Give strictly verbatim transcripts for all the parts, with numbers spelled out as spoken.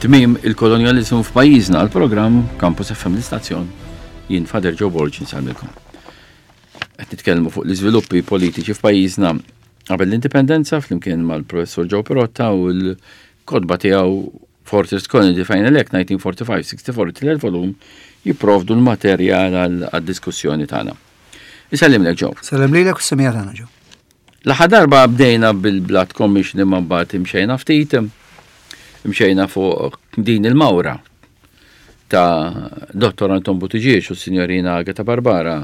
Tmiem il-kolonjalizmu f'pajjiżna, l-programm Campus F M l-istazzjon, jien Father Joe Borg nsellmilkom. Qed nitkellmu fuq l-iżviluppi politiċi f'pajjiżna qabel l-indipendenza flimkien mal-Professur Joe Pirotta u l-kotba tiegħu Fortress Colony The Final Act nineteen forty-five sixty-four, it-tielet volum, jipprovdu l-materjal għad-diskussjoni tagħna. Isellimlek Joe. Sellem lilek u s-semija tagħna Joe. L-aħħar darba bdejna bil-Blood Commission imma mbagħad imxejna ftit, imxejna fuq din il-mawra ta' Dottor Anton Buttigieg u s-Sinjorina Agatha Barbara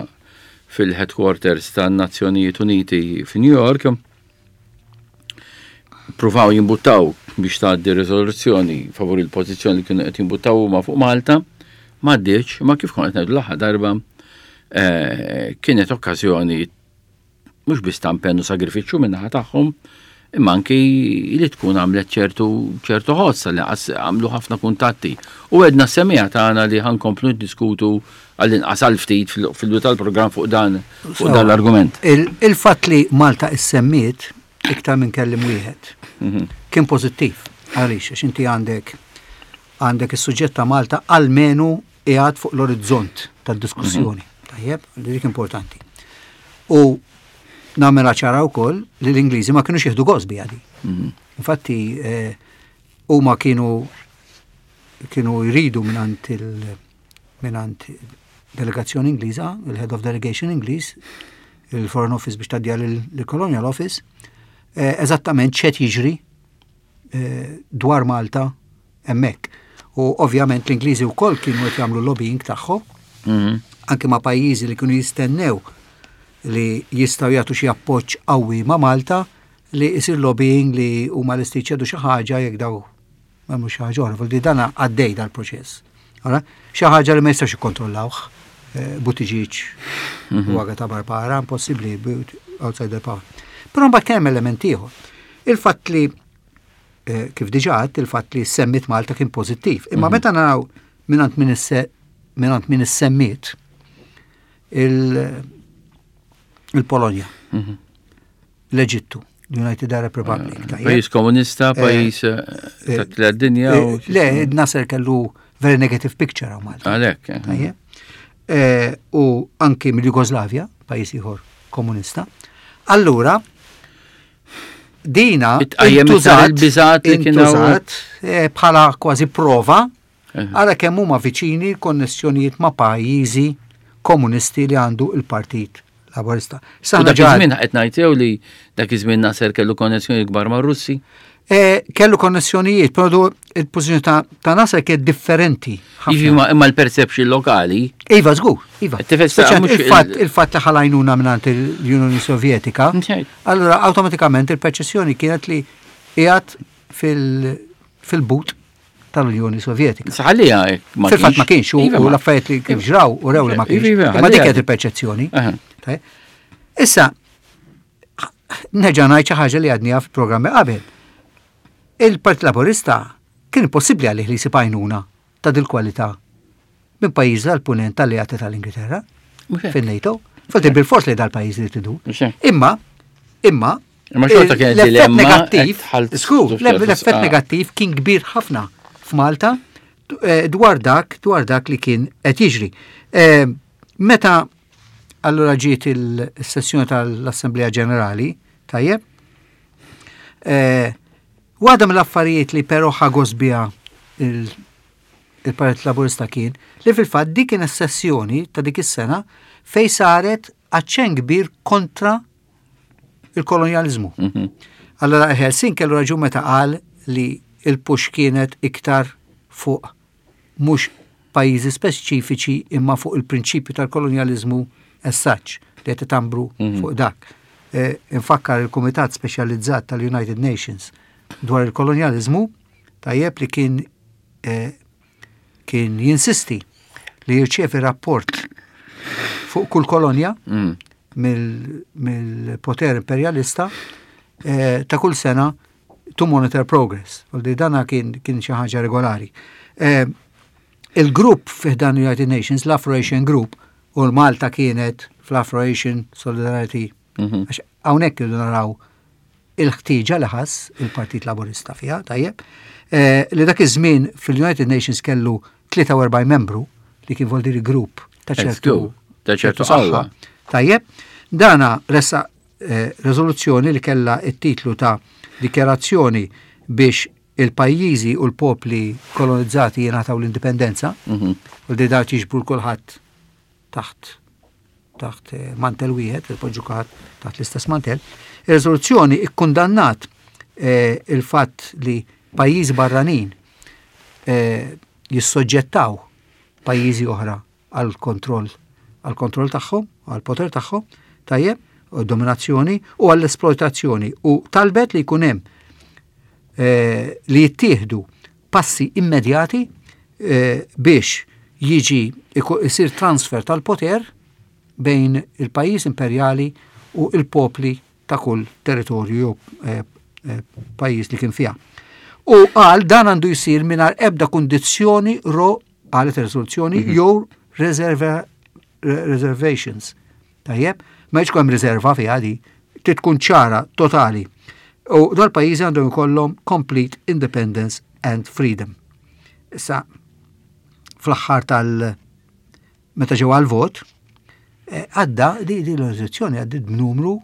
fil-headquarters tan-Nazzjonijiet Uniti fi New York. Pruvaw jimbuttaw biex tgħaddi riżoluzzjoni favur il-pożizzjoni li kienu qed jimbuttaw huma fuq Malta, ma għaddietx, ma kif kont qed ngħidu l-aħħar darba, eh, kienet okkażjoni mhux biss ta' impenn u sagrifiċċju min-naħa tagħhom, imma anki li tkun għamlet ċertu, ċertu ħoss li għas-, għamlu ħafna kuntatti. U għedna semija tagħna li ħankomplu niddiskutu għall-inqas għal ftit fil-, fil-bidu tal-programm fuq dan, fuq dan l-argument. Il-, il-fatt li Malta issemmiet iktar minn kellim wieħed Mhm. kien pożittiv. Għaliex, għax inti għandek, għandek is-suġġett ta' Malta almenu qiegħed fuq l-orizzont tad-diskussjoni. Mhm. Tajjeb, li dik importanti. U nagħmilha ċara wkoll li l-Ingliżi ma kinux jieħdu gost biha di. Mhm. Infatti, eh, huma kienu, kienu jridu mingħand il-, mingħand delegazzjoni Ingliża, il-Head of Delegation Ingliż, il-Foreign Office biex tgħaddiha lill-Colonial Office, eh, eżattament x'qed jiġri, eh, dwar Malta hemmhekk. U ovvjament l-Ingliżi wkoll kienu qed jagħmlu lobbying tagħhom, Mhm. anke ma' pajjiżi li kienu jistennew li jistgħu jagħtu xi appoġġ qawwi ma' Malta li jsir lobbying li huma lesti jċedu xi ħaġa jekk daw m'hemmx xi ħaġa oħra. Vuol dana għaddej dal-proċess. Ora, xi ħaġa li ma jistax ikkontrollawh, eh, Buttigieg Mhm. u Agatha Barbara, impossibbli outside the power. Però mbagħad kien hemm element ieħor. Il-fatt li, eh, kif diġà għedt, il-fatt li semmit Malta kien pożittiv. Imma Mhm. meta naraw mingħand min isse-, mingħand min issemmiet il-, il-Polonja, Mhm. l-Eġittu, l-United Arab Republic, Eh, tajjeb. Pajjiż komunista, Eh, pajjiż, eh, eh, ta' tliet dinja eh, u Le, Nasser kellu very negative picture għaw Malta. Għalhekk, eh. Tajjeb. Eh, u anki mill-Jugoslavja, pajjiż ieħor komunista. Allura, dina Itqajjem iktar intużat il-biżat li kien hawn. intużat, eh, bħala kważi prova Eh. għala kemm huma viċini l-konnessjonijiet ma' pajjiżi komunisti li għandu il-Partit Laburista. U Saħna dak ġar- iż-żmien qed ngħid jew li dak iż-żmien Nasser kellu konnessjoni kbar mar-Russi? Eh, kellu konnessjonijiet, però il-pożizzjoni ta', ta' Nasser kienet differenti ħafna. Iva, ma-, imma l-perception lokali. Iva, żgur, iva. Qed tifhem, Speċjalment mhux il-fatt, il- il-fatt li ħalajnuna mingħand l-Unjoni Sovjetika, Mxejt. allura awtomatikament il-perċezzjoni kienet li qiegħed fil-, fil-but tal-Unjoni Sovjetika. Saħalija hekk ma Fil-fatt ma kienx, u Iva, u ma- l-affarijiet li kif ġraw u rew li ma Iva, kienx. iva, Imma dik ħalliha. kienet il-perċezzjoni. Aha. Tajjeb. Issa, nerġa' ngħid xi ħaġa li għadniha fil-programmi qabel. Il-Partit Laburista kien impossibbli għalih li jsib għajnuna ta' dil-kwalità minn pajjiż tal-punent tal-alleati tal-Ingilterra Mhux hekk. fin-NATO. Forsi bil-fors li dal-pajjiż li tidu. Mhux hekk. Imma, imma, Imma xorta kienet l-effett dilemma negattiv, qed tħall skur, tuffer l-effett fis-sqa. negattiv kien kbir ħafna f'Malta, eh, dwar dak, dwar dak li kien qed jiġri. Eh, meta allura ġiet il-sessjoni tal-Assemblea Ġenerali, tajjeb, eh, waħda mill-affarijiet li però ħa gost biha il-, il-Partit Laburista kien li fil-fatt dik kien is-sessjoni ta' dik is-sena fej saret aċċenn kbir kontra il-kolonjalizmu. Mhm. Allora Helsin kellu raġun meta qal li il-push kienet iktar fuq mhux pajjiżi speċifiċi imma fuq il-prinċipju tal-kolonjalizmu as such li qed itambru Mhm. fuq dak. Eh, infakkar il-Kumitat Speċjalizzat tal-United Nations dwar il-kolonjalizmu tajjeb li kien, eh, kien jinsisti li jirċievi rapport fuq kull kolonja Mm. mill-, mill-poter imperialista, eh, ta' kull sena to monitor progress. Għaldi dana kien, kien xi ħaġa regolari. Eh, il-grupp fi ħdan United Nations, l-Afro-Asian Group, u l-Malta kienet fl-Afro-Asian Solidarity. Mhm. Għax hawnhekk irridu naraw il-ħtieġa li ħass il-Partit Laburista fiha, tajjeb, eh, li dak iż-żmien fil-United Nations kellu tlieta u erbgħin membru, li kien vuol grupp ta' ċertu ta' ċertu qawwa. Tajjeb, dana ressaq eh, rezoluzzjoni li kella it-titlu ta' Dikjarazzjoni biex il-pajjiżi u l-popli kolonizzati jingħataw l-indipendenza, Mhm. u li daw jiġbru kulħadd taħt taħt eh, mantel wieħed, il-poġġu kulħadd taħt l-istess mantel. Ir-riżoluzzjoni ikkundannat eh, il-fatt li pajjiżi barranin eh, jissoġġettaw pajjiżi oħra għal kontroll għal kontroll tagħhom, għal poter tagħhom, tajjeb, u dominazzjoni u għall-esploitazzjoni, u talbet li jkun hemm eh, li jittieħdu passi immedjati eh, biex jiġi isir transfer tal-poter bejn il-pajjiż imperjali u il-popli ta' kull territorju jew eh, eh, pajjiż li kien fiha. U qal dan għandu jsir mingħajr ebda kundizzjoni ro qalet ir-riżoluzzjoni mm -hmm. jew reserva, reservations. Tajjeb, ma jkunx hemm riserva fiha di, tkun ċara totali. U dal pajjiżi għandhom ikollhom complete independence and freedom. Issa, fl-aħħar tal- meta ġew għal-vot, eh, għadda di, di l-riżoluzzjoni għaddit b'numru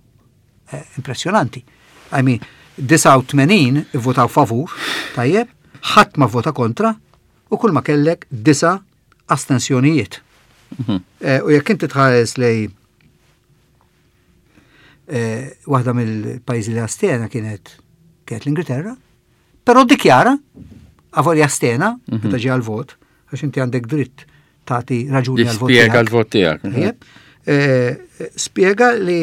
eh, impressjonanti. I mean, disgħa u tmenin votaw favur, tajjeb, ħadd ma vota kontra, u kull ma kellek disa' astensjonijiet. Mhm. Eh, u jekk inti tħares lej eh, waħda mill-pajjiżi li astena kienet kienet l-Ingilterra, però dikjara avolja astena Mhm. meta ġie għal-vot, għax inti għandek dritt tagħti raġuni għal-vot Spjega tiegħek. l-vot tiegħek. Tajjeb. Eh, Spjega li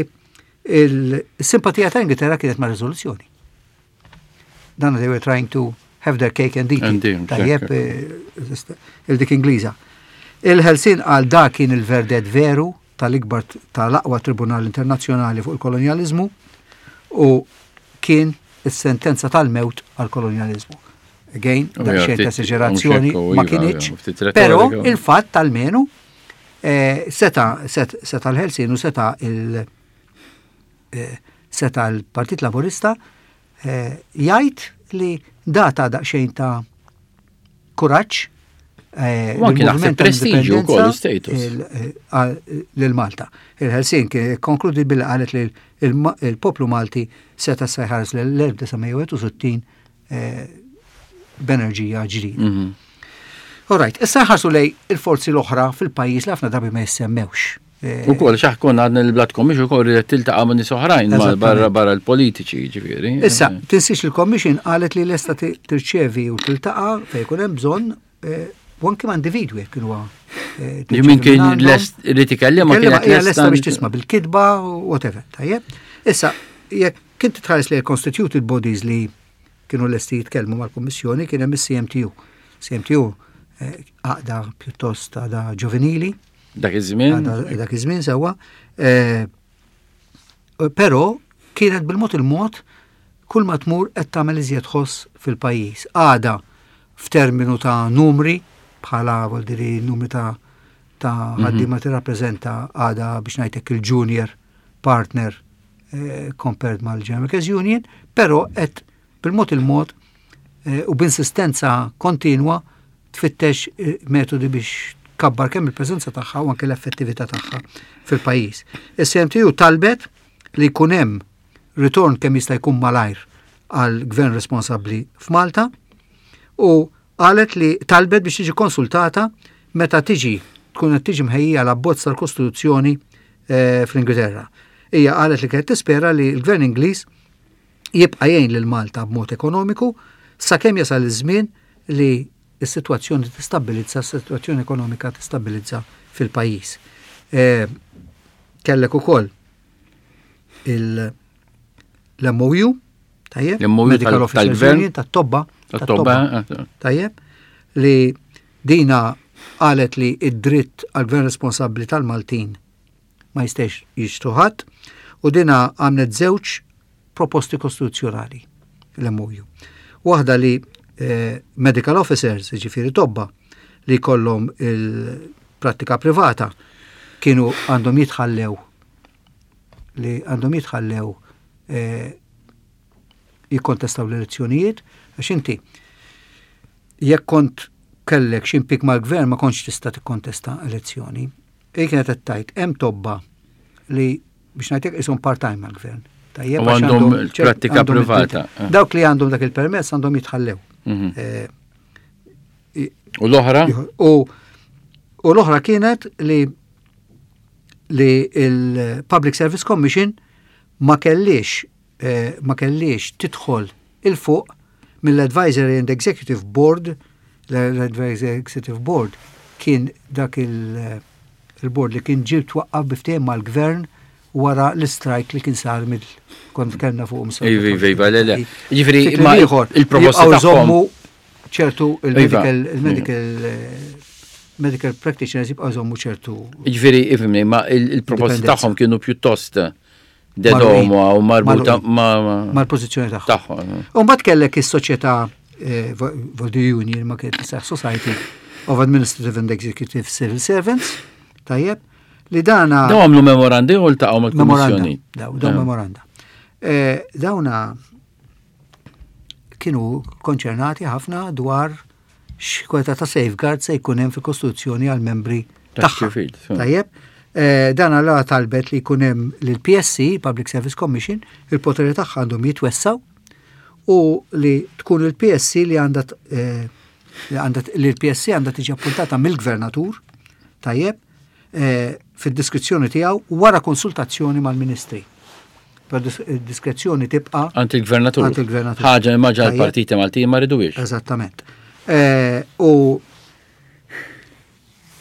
il-simpatija ta' Ingilterra kienet ma' riżoluzzjoni. Dan they were trying to have their cake and eat And it. eat, Tajjeb, eh, il-dik Ingliża. Il-Ħelsien għal da kien il-verdett veru tal-ikbar tal-aqwa tribunal internazzjonali fuq il-kolonializmu u kien is-sentenza tal-mewt għal-kolonializmu. Again, U daqsxejn ftit- ta' esagerazzjoni mhux hekk, ma iva, kinitx, ftit retorika. però il-fatt almenu eh, seta set, seta l-Ħelsien u seta il eh, seta l-Partit Laburista eh, jgħid li data daqsxejn ta' kuraġġ eh, U anki naħseb lill-moviment ta' prestiġju wkoll, indipendenza status. il- eh, għal- lil Malta. Il-Ħelsien kien konkludi billi qalet li il- il-poplu Malti seta sa jħares l-elf disa' mija u wieħed u sittin eh, b'enerġija ġdida. Mhm. All right, issa ħarsu lej il-forzi l-oħra fil-pajjiż li ħafna drabi ma jissemmewx. Eh, U kol, xaħ konna għadna l-Blood Commission ukoll ridet tiltaqa' ma' nies oħrajn ma' Eżattament. barra barra l-politiċi, ġifieri. Issa, tinsiex il-Commission qalet li lesta ti- tirċevi u tiltaqa' fejn jkun hemm bżonn eh, u anke ma' individwi jekk kienu eh, Li min tirċevi kien minn għandhom. lest li tikellem ma Kellima kienet hija lesta biex lesta. tisma' bil-kitba u whatever, tajjeb. Issa, jekk kint tħares li constituted bodies li kienu lesti jitkellmu mal-Kummissjoni, kien hemm is-C M T U. C M T U eh, għaqda pjuttost għada ġovenili, Dak iż-żmien. għada dak iż-żmien sewwa. Eh, Però kienet bil-mod il-mod kull ma tmur qed tagħmel iżjed ħoss fil-pajjiż. Għada f'terminu ta' numri, bħala vuol dire numri ta' ta' ħaddiema tirrappreżenta għada biex ngħidlek il-junior partner eh, compared mal-General Workers Union, però qed bil-mod il-mod eh, u b'insistenza kontinwa tfittex eh, metodi biex tkabbar kemm il-preżenza tagħha u anke l-effettività tagħha fil-pajjiż. Is-C M T U talbet li jkun hemm ritorn kemm jista' jkun malajr għal gvern responsabbli f'Malta u qalet li talbet biex tiġi konsultata meta tiġi tkun qed tiġi mħejjija l-abbozz tal-Kostituzzjoni eh, fl-Ingilterra. Hija qalet li kienet tispera li l-gvern Ingliż jibqa' jgħin lil Malta b'mod ekonomiku sakemm jasal iż-żmien li s-sitwazzjoni tistabbilizza, s-sitwazzjoni ekonomika tistabbilizza fil-pajjiż. Eh, kellek ukoll il- l-M O U, tajjeb, L-M O U Medical tal- Officers tal-gvern? Union, tat-tobba, Tat-tobba. eh, tajjeb, li dina qalet li id-dritt għal gvern responsabbli tal-Maltin ma jistax jixtru ħadd u dina għamlet żewġ proposti kostituzzjonali l-M O U. Waħda li eh, medical officers, ġifieri tobba, li kollhom il-prattika privata kienu għandhom jitħallew li għandhom jitħallew eh, jikkontestaw l-elezzjonijiet, għax inti jekk kont kellek xi impik mal-gvern ma kontx tista' tikkontesta elezzjoni. Hi kienet qed tgħid hemm tobba li biex ngħidlek ishom part-time mal-gvern. Tajjeb, U għax għandhom ċert- prattika għandhom privata. id-dritt. Dawk li għandhom dak il-permess għandhom jitħallew. Mhm. Eh, U l-oħra? U u l-oħra kienet li li il-Public Service Commission ma kellix eh, ma kellix tidħol 'il fuq mill-Advisory and Executive Board. L-Advisory Executive Board kien dak il- il-board li kien ġie twaqqaf bi ftehim mal-gvern wara l-strike li kien sar mill kont kellna fuq. Iva, iva, iva, le, le. Ġifieri, Fi kliem ma ieħor, il-proposti jibqgħu tagħhom- jżommu ċertu il-medical Iva. il-medical eh, medical practitioners jibqgħu jżommu ċertu Ġifieri, ifhimni, ma il- il-proposti Indipendenza. tagħhom kienu pjuttost dedoma u marbuta Magħluqin. ma' mal-pożizzjoni tagħhom. tagħhom. U mbagħad kellek is-soċjetà eh, vo- Voldi Union, ma kienet tisseħ Society of Administrative and Executive Civil Servants, tajjeb, li dana Daw għamlu memorandi u ltaqgħu memoranda. mal-Kummissjoni. Daw, daw Eh. memoranda. Eh, Dawna kienu konċernati ħafna dwar x'kwalità ta' safeguard se jkun hemm fil-Kostituzzjoni għal membri tagħha. Tax-ċivil, so. Tajjeb, eh, dan għalla talbet li jkun hemm l-P S C, Public Service Commission, il-poteri tagħha għandhom jitwessaw u li tkun il-P S C li għandha t- eh, li għandha li l-P S C għandha tiġi appuntata mill-gvernatur, tajjeb, eh, fid-diskrezzjoni tiegħu wara konsultazzjoni mal-ministri. Per diskrezzjoni tibqa' Għand il-gvernatur. Għand il-gvernatur. Ħaġa imma ġa Tajjeb. l-partiti Maltin ma riduwiex. Eżattament. Eh, U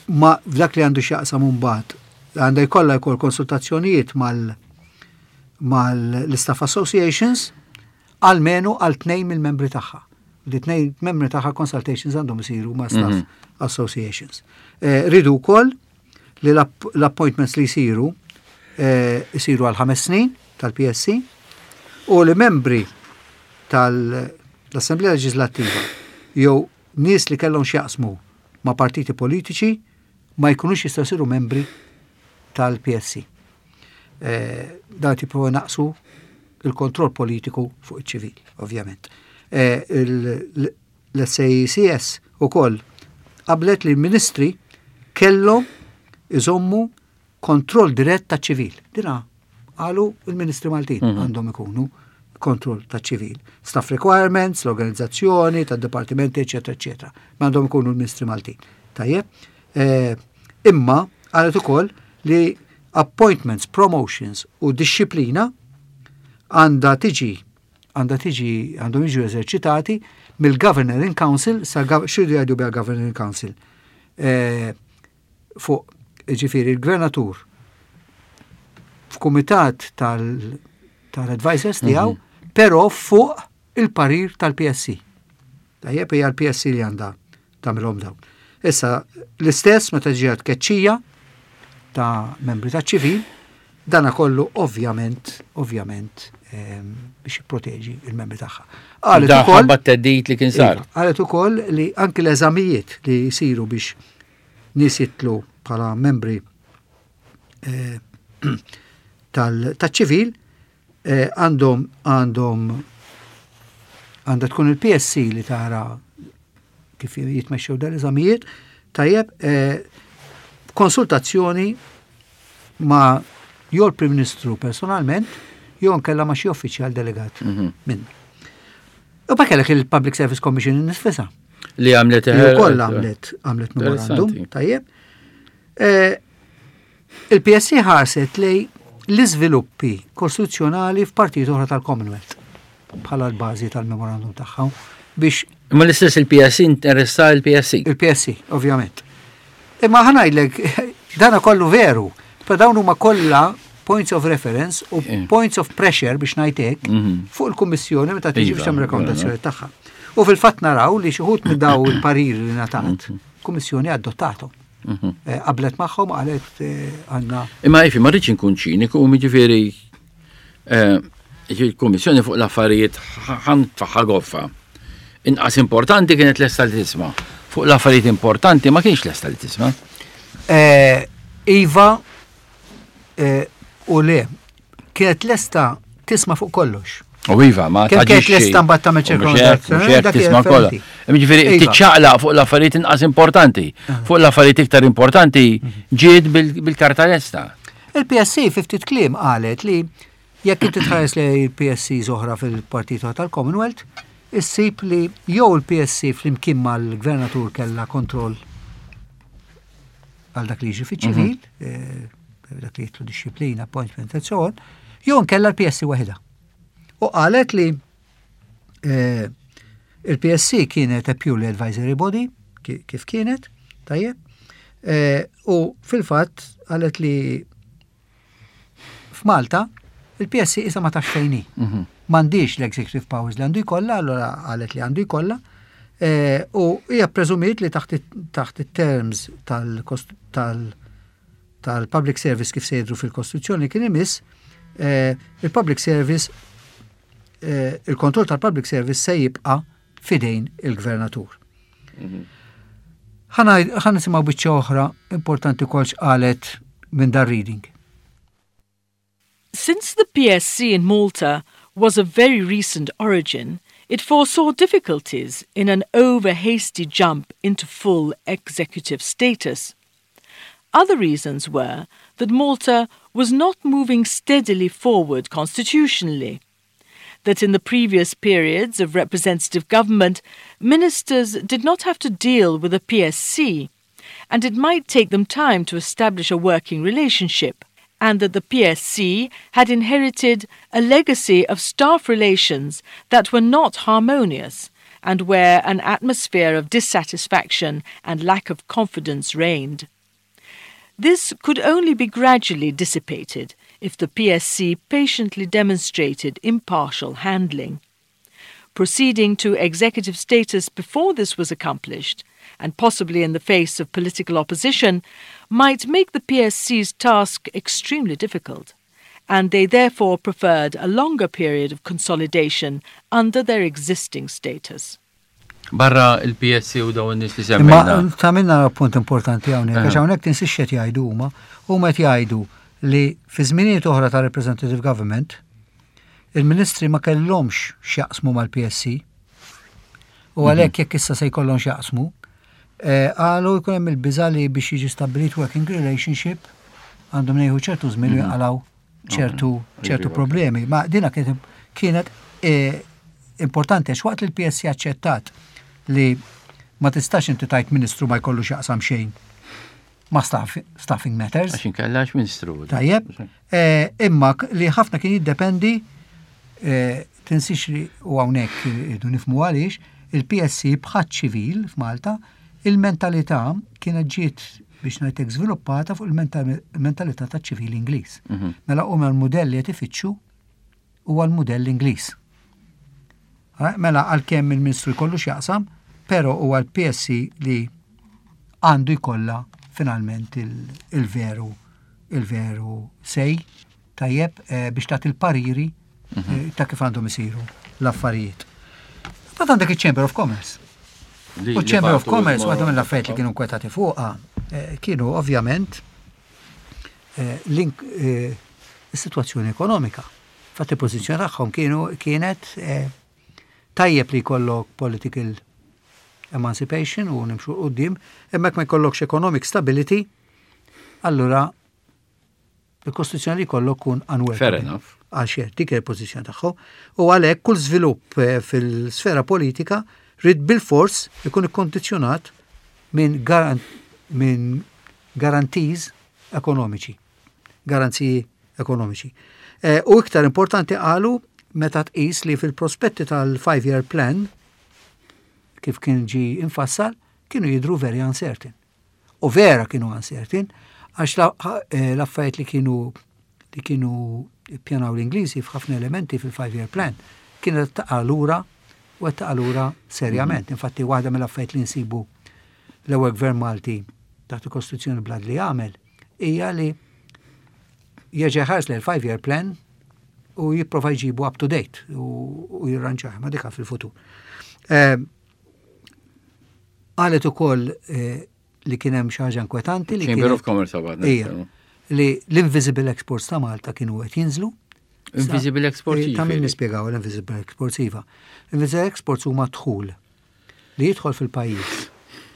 ma f'dak li għandu x'jaqsam mbagħad għandha jkollha jkoll konsultazzjonijiet mal mal-staff associations almenu għal tnejn mill-membri tagħha. Li tnejn membri tagħha consultations għandhom isiru ma' staff Mhm. associations. Eh, Ridu wkoll li l-app- l-appointments li jsiru eh, jsiru għal ħames snin tal-P S C u li membri tal-Assemblea Leġislattiva jew nies li kellhom x'jaqsmu ma' partiti politiċi ma jkunux jistgħu jsiru membri tal-P S C. Eh, Dan tipo naqsu il-kontroll politiku fuq iċ-ċivil, ovvjament. Eh, il- L-S A E C S ukoll qablet li l-ministri kellhom iżommu kontroll dirett ta' ċivil. Dina qalu il-ministri Maltin Mhm. għandhom ikunu kontroll ta' ċivil. Staff requirements, l-organizzazzjoni, ta' dipartimenti, eccetera, eccetera. Ma għandhom ikunu l-ministri Maltin. Tajjeb? Eh, imma qalet ukoll li appointments, promotions u disċiplina għandha tiġi għandha tiġi għandhom jiġu eżerċitati mill-Governor in Council sa x'iridu jgħidu biha Governor in Council. Eh, fuq ġifieri il-gvernatur f'kumitat tal- tal-advisors tiegħu, però fuq il-parir tal-P S C. Tajjeb, hija l-P S C li għandha tagħmilhom dawn. Issa l-istess meta ġiet tkeċċija ta' membri ta' ċivil, dana kollu ovvjament, ovvjament ehm, biex jipproteġi il-membri tagħha. Qalet Da ukoll ħabba t-theddid li kien sar. Iva, qalet ukoll li anki l-eżamijiet li jsiru biex nies jitlu bħala membri eh, tal- taċ-ċivil eh, għandhom għandhom għandha tkun il-P S C li tara kif jitmexxew dal-eżamijiet, tajjeb, eh, konsultazzjoni ma' jew l-Prim Ministru personalment, jew nkella ma' xi uffiċjal delegat Mhm. minn. U ba kellek il-Public Service Commission nifisha. Li għamlet Li wkoll għamlet għamlet memorandum, Interessanti. tajjeb. Eh, Il-P S C ħarset lej l-iżviluppi kostituzzjonali f'partit oħra tal-Commonwealth bħala l-bażi tal-memorandum tagħha biex Imma l-istess il-P S C interessa il-P S C. Il-P S C, ovvjament. Imma ħa ngħidlek, dana kollu veru, per dawn huma kollha points of reference u Eh. points of pressure biex ngħidlek Mhm. fuq il-Kummissjoni meta tiġi Iva, biex tagħmel rekomendazzjoni tagħha. U fil-fatt naraw li xi wħud minn daw il-pariri li ngħatat, Kummissjoni adottatom. Mhm. Eh, Qablet magħhom, qalet eh, għandna Imma jifi, ma rridx inkun ċiniku, u ġifieri eh, il-Kummissjoni fuq l-affarijiet ħan tfaħħa goffa. Inqas importanti kienet lesta li tisma'. Fuq l-affarijiet importanti ma kienx lesta li tisma'. Eh, Iva eh, u le, kienet lesta tisma' fuq kollox. U iva, ma Kemm kienet lesta mbagħad tagħmel ċirkondazzjoni, dak tisma' kollha. Jiġifieri Iva. tiċċaqlaq fuq l-affarijiet inqas importanti. Fuq l-affarijiet iktar importanti ġiet bil- bil-karta lesta. Il-P S C fi ftit kliem qalet li jekk inti tħares li il-P S C oħra fil-Partit tal-Commonwealth, issib li jew il-P S C flimkien mal-gvernatur kella kontroll għal dak li jiġi fiċ-ċivil, eh, dak li jitlu disciplina, appointment and so on, jew nkella l-P S C waħedha. U qalet li eh, il-P S C kienet a purely advisory body, ki- kif kienet, tajjeb, eh, u fil-fatt qalet li f'Malta il-P S C issa ma tafx fejn hi. M'għandix l-executive powers li għandu jkollha, allora qalet li għandu jkollha, eh, u hija preżumiet li taħt it- taħt it-terms tal-kost- tal- tal-public service kif se jidru fil-Kostituzzjoni kien imiss, eh, il-public service eh, il-kontroll tal-public service se jibqa' fidejn il-gvernatur. Ħa nisimgħu biċċa oħra importanti kol x'qalet minn dar reading. Since the P S C in Malta was of very recent origin, it foresaw difficulties in an over hasty jump into full executive status. Other reasons were that Malta was not moving steadily forward constitutionally, that in the previous periods of representative government, ministers did not have to deal with a P S C, and it might take them time to establish a working relationship, and that the P S C had inherited a legacy of staff relations that were not harmonious and where an atmosphere of dissatisfaction and lack of confidence reigned. This could only be gradually dissipated if the P S C patiently demonstrated impartial handling. Proceeding to executive status before this was accomplished, and possibly in the face of political opposition, might make the P S C's task extremely difficult, and they therefore preferred a longer period of consolidation under their existing status. Barra il-P S C u dawn in-nies li Imma semmejna. Tagħmilna punt importanti hawnhekk, għax hawnhekk tinsiex qed jgħidu huma, huma qed jgħidu li fi żminijiet oħra ta' representative government il-ministri ma kellhomx x'jaqsmu mal-P S C. U għalhekk jekk issa se jkollhom x'jaqsmu, eh, qalu jkun hemm il-biża li biex jiġi stabbilit working relationship għandhom jieħdu ċertu żmien u jaqalgħu ċertu ċertu problemi. Ma dina kienet kienet eh, importanti għax waqt li l-P S C aċċettat li ma tistax inti tajt ministru ma jkollu x'jaqsam xejn ma' staff, staffing matters. Għax inkella għax ministru. Tajjeb, eh, imma k- li ħafna kien jiddependi, eh, tinsix li u hawnhekk irridu nifhmu għaliex il-P S C bħat ċivil f'Malta, il-mentalità kienet ġiet biex ngħidlek żviluppata fuq il-mentalità ta' ċivil Ingliż. Mela huma l-modelli qed ifittxu huwa l-modell Ingliż. Eh, Mela għalkemm il-Ministru jkollu x'jaqsam, però huwa l-P S C li għandu jkollha finalment il- il-veru il-veru say tajjeb eh, biex tagħti il-pariri eh, ta' kif għandhom isiru l-affarijiet. Mbagħad għandek il-Chamber of Commerce. Li- U li Chamber of bagħtu Commerce, il-mor- waħda mill-affarijiet li kienu nkwetati fuqha, eh, kienu ovvjament eh, link eh, is-sitwazzjoni ekonomika. Fatti pożizzjoni tagħhom kienu kienet eh, tajjeb li jkollok political emancipation u nimxu quddiem, imma jekk ma jkollokx economic stability, allura il-Kostituzzjoni li jkollok kun unworkable. Fair enough. Għal xejn, dik il-pożizzjoni tagħhom. U għalhekk kull żvilupp eh, fil-sfera politika rrid bil-fors ikun ikkondizzjonat minn garan minn guarantees ekonomiċi. Garanziji ekonomiċi. Eh, U iktar importanti qalu meta tqis li fil-prospetti tal-five-year plan kif kien ġi infassal, kienu jidru very uncertain. U vera kienu uncertain, għax la- eh, l-affarijiet li kienu li kienu pjanaw l-Ingliżi f'ħafna elementi fil-five-year plan kienet taqa' lura u qed taqa' lura serjament. Infatti waħda mill-affarijiet li nsibu l-ewwel gvern Malti taħt il-Kostituzzjoni blad li għamel hija li jerġa' jħares l five-year plan u jipprova jġibu up to date u, u jirranġah ma dika fil-futur. Eh, Qalet ukoll eh, li kien hemm xi ħaġa inkwetanti li Chamber kienet- of Commerce għabad. Ija, li l-invisible exports ta' Malta kienu qed jinżlu. Invisible exports. Eh, ta' min nispjegaw l-invisible exports, iva. Invisible exports huma dħul li jidħol fil-pajjiż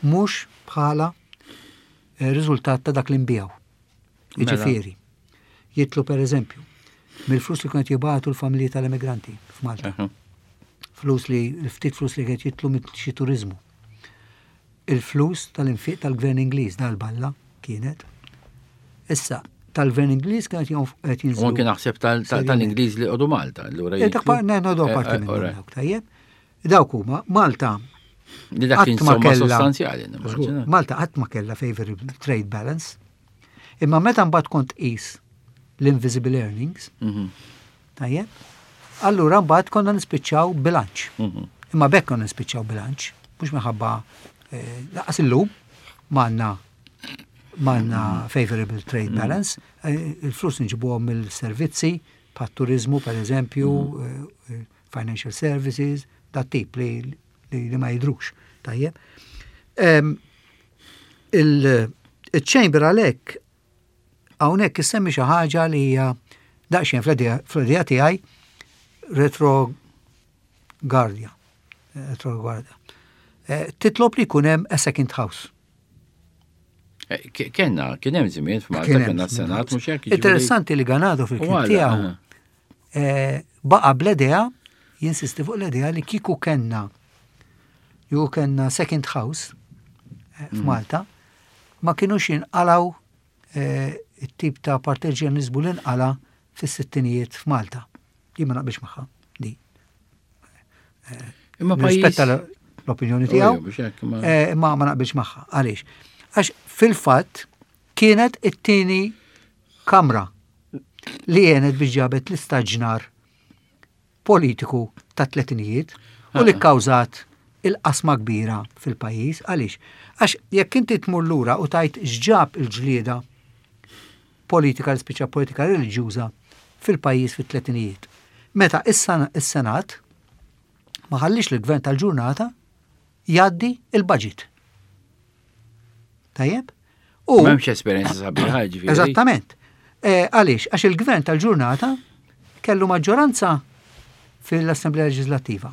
mhux bħala eh, riżultat ta' dak li nbiegħu. Mela. Jiġifieri, jidħlu, per eżempju, mill-flus li kienet jibagħtu l-familji tal-emigranti f'Malta. Aha. Flus li, ftit flus li kienet jidħlu minn xi turizmu. Il-flus tal-infiq tal-gvern Ingliż dal-balla kienet. Issa, tal-gvern Ingliż kienet jonf- qed U jinżlu. anke naħseb tal- tal- tal-Ingliż li għodu Malta. Allura Eh, dak jidħlu- pa- ne, no, do Eh, parti eh, minnhom alright. dawk, tajjeb. Dawk huma Malta Li dak kien qatt ma somma kellha- sostanzjali. Żgur, nimmaġina. Malta qatt ma kellha favorable trade balance. Imma meta mbagħad kont qis l-invisible earnings, Mhm, tajjeb, allura mbagħad konna nispiċċaw bilanċ. mhm. Imma bekk konna nispiċċaw bilanċ, mhux minħabba eh, lanqas illum m'għandna m'għandna favorable trade balance, eh, il-flus nġibuhom mill-servizzi, bħat turizmu per eżempju, eh, eh, financial services, dat tip li, li, li ma jidrux. Tajjeb. Em, Il-Chamber għalhekk hawnhekk issemmi xi ħaġa li hija daqsxejn fl-idea tiegħi retrogardja. Retrogardja. Eh, Titlob li jkun hemm a second house. Eh, ke- Kenna, kien hemm żmien f'Malta, Kien hemm kenna żmien. s-Senat, mhux hekk. Jiġifieri- Interessanti li Ganado U fil-ktieb għala, tiegħu aha. eh, baqa bl-idea, jinsisti fuq l-idea li kieku kenna ju kenna second house eh, f'Malta, ma kienux jinqalaw eh, it-tip ta' partiġjanizmu li nqala fis-sittinijiet f'Malta. Jien ma naqbilx magħha di. Imma pajjiż. Nirrispetta l- l-opinjoni tiegħu, Ejja, biex hekk, ma- eh, imma ma naqbilx magħha. Għaliex? Għax fil-fatt kienet it-tieni kamra li jenet biex ġabet l-istaġnar politiku ta' tletinijiet u li kkawżat il-qasma kbira fil-pajjiż. Għaliex? Għax jekk inti tmur lura u tajt x'ġab il-ġlieda politika, l-spiċa politika reliġjuża fil-pajjiż fit-tletinijiet. Meta is-Sen- is-Senat ma ħallix l-gvern tal-ġurnata jgħaddi il-budget. Tajjeb? U M'hemmx esperjenza sabiħa, ġifieri. Eżattament. Eh, Għaliex? Għax il-gvern tal-ġurnata kellu maġġoranza fil-Assemblea Leġislattiva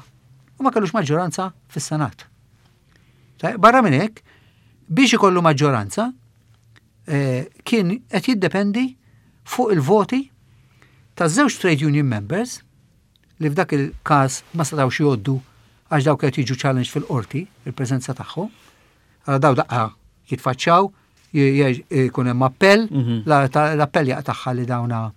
u ma kellux maġġoranza fis-Senat. Tajjeb, barra minn hekk, biex ikollu maġġoranza, eh, kien qed jiddependi fuq il-voti ta' żewġ trade union members li f'dak il-każ ma setgħux jgħoddu għax dawk qed jiġu challenge fil-qorti, il-preżenza tagħhom. Allora daw daqqa jitfaċċaw, jkun hemm appell, Mhm. la- ta- l-appell jaqtagħha li dawna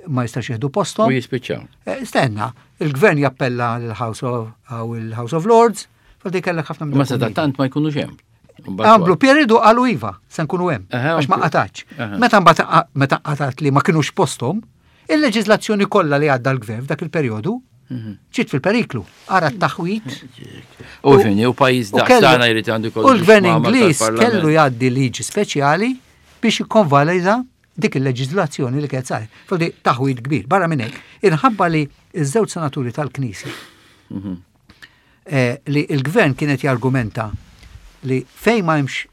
ma jistax jieħdu posthom. U jispiċċaw. Eh, Stenna, il-gvern jappella l-House of, għaw il-House of Lords, fal kellek ħafna Ma minn seta tant ma jkunux hemm. Għamlu periodu, qalu iva, se nkunu hemm, Aha, għax ma ok. qatax. Aha. Meta mbagħad meta qatat li ma kinux posthom, il-leġiżlazzjoni kollha li għadda l-gvern f'dak il-perjodu Mhm. ġiet fil-periklu. Ara t-taħwit. U fini, u pajjiż U daqs kellu- tagħna jrid għandu U l-gvern Ingliż kellu jgħaddi liġi speċjali biex jikkonvalida dik il-leġiżlazzjoni li kienet saret. Fodi taħwit kbir. Barra minn hekk, inħabba li iż-żewġ senaturi tal-Knisja eh, li il-gvern kienet jargumenta li fejn ma hemmx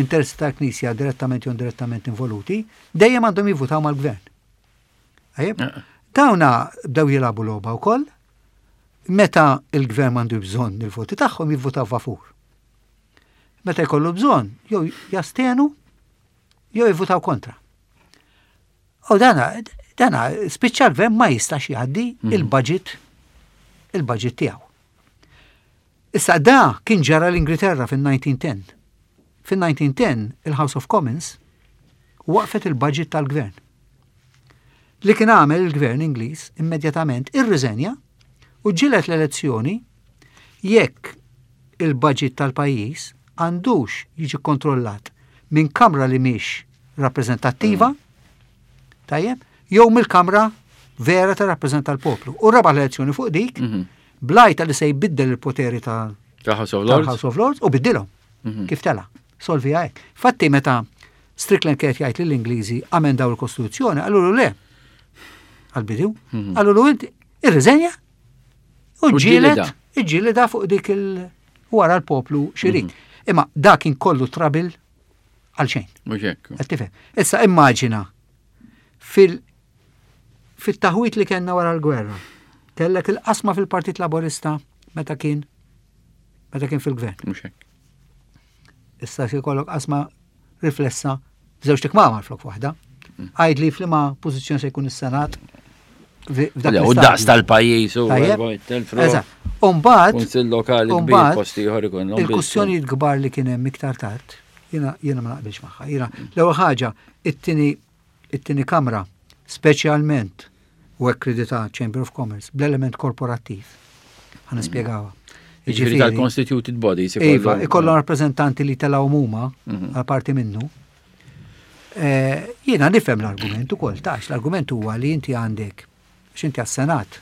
interessi tal-Knisja direttament jew indirettament involuti, dejjem għandhom jivvutaw mal-gvern. Tajjeb? Eh. Dawna bdew jilagħbu logħba wkoll, meta il-gvern m'għandu bżonn il-voti tagħhom, jivvutaw favur. Meta jkollu bżonn, jew jastenu jew jivvutaw kontra. U dana, dana spiċċa l-gvern ma jistax jgħaddi il-budget il-budget tiegħu. Issa da kien ġara l-Ingilterra fin-elf disa' mija u għaxra. Fin-elf disa' mija u għaxra il-House of Commons waqfet il-budget tal-gvern. Li kien għamel il-gvern Ingliż, immedjatament irriżenja u ġilet l-elezzjoni jekk il-budget tal-pajjiż għandux jiġi kontrollat minn kamra li mhix rappreżentattiva, tajjeb, jew mill-kamra vera ta' rappreżenta l-poplu. U rebaħ l-elezzjoni fuq dik, Mhm. bl-għajta li se jbiddel il-poteri ta' Ta' House of Lords. tal-House of Lords u biddilhom. Mhm. Kif tela? Solvi hekk. Fatti meta Strickland kienet jgħid lill-Ingliżi amendaw il-Kostituzzjoni, qalulu le. Għal-bidu, qalulu inti irriżenja u Mhm. U ġielet, ġġielida. iġġielida fuq dik il wara l-poplu xirid. Imma dak kien kollu trouble għal xejn. Mhux hekk. Qed tifhem? Issa immaġina fil Fit-taħwit li kellna wara l-gwerra, kellek il-qasma fil-Partit Laborista meta kien meta kien fil-gvern. Mhux hekk. Issa se jkollok qasma riflessa f'żewġt ikmamar flok waħda. Għid li f'liema pożizzjoni se jkun is-Senat f'dak U daqs l-istadju. Tal-pajjiż u Tajjeb. telfru. Eżatt. Umbagħad Kunsill lokali kbir Umbagħad, posti ieħor ikollhom il-kwistjonijiet kbar li kien hemm iktar tard, jiena jiena ma naqbilx magħha. Jiena l-ewwel ħaġa, it-tieni it-tieni kamra, speċjalment u akkredita Chamber of Commerce bl-element korporattiv. Ħa nispjegawha. Ġifieri tal-constituted bodies. Iva, ikollhom rappreżentanti li telgħu huma Mhm. għal parti minnu. Eh, Jiena nifhem l-argument ukoll, tax l-argument huwa li inti għandek x'inti għas-Senat,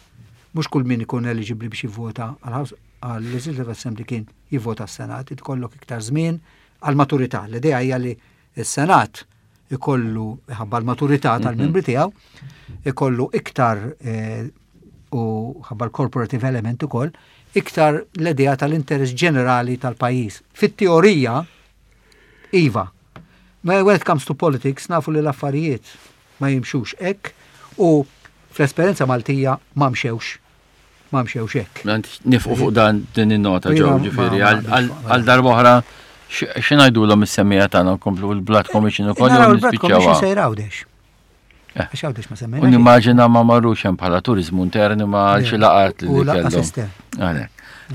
mhux kull min ikun eligibbli biex jivvota għal-House għal-Legislative Assembly kien jivvota għas-Senat, ikollok iktar żmien għal-maturità. L-idea hija li s-Senat ikollu ħabba l-maturità tal-membri tiegħu, ikollu iktar eh, u ħabba l-corporative element ukoll, iktar l-idea tal-interess ġenerali tal-pajjiż. Fit-teorija, iva. Ma when it comes to politics, nafu li l-affarijiet ma jimxux hekk u fl-esperjenza Maltija ma mxewx. Ma mxewx hekk. Nieqfu fuq dan din in-nota Jiena ġew ma- ġifieri ma għal- naqbilx għal fuq għal darba oħra x'ngħidulhom is-semmiegħa tagħna, nkomplu l-Blood Commission ukoll Naraw jew il-Blood Commission nispiċċawha? sejra Għawdex. Eh. Għax Għawdex ma U semmejna. nimmaġina ma marrux hemm bħala turizmu intern ma għal xi laqat li U lanqas kellhom. estern. Għalhekk.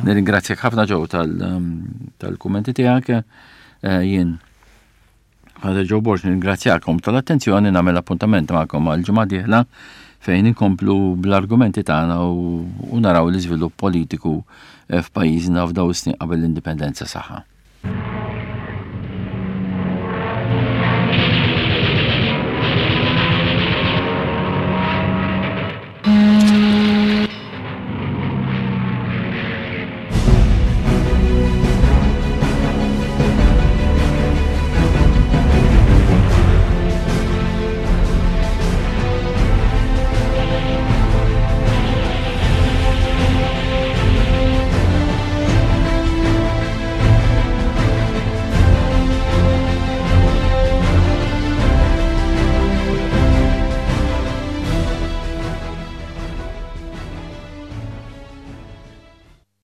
Nirringrazzjak ħafna ġew tal- um, tal-kummenti tiegħek. Eh, Jien Father Joe Borg nirringrazzjakom tal-attenzjoni, nagħmel appuntament magħkom għal ġimgħa dieħla fejn inkomplu bl-argumenti tagħna u u naraw l-iżvilupp politiku eh, f'pajjiżna f'daw is-snin qabel l-indipendenza. Saħħa.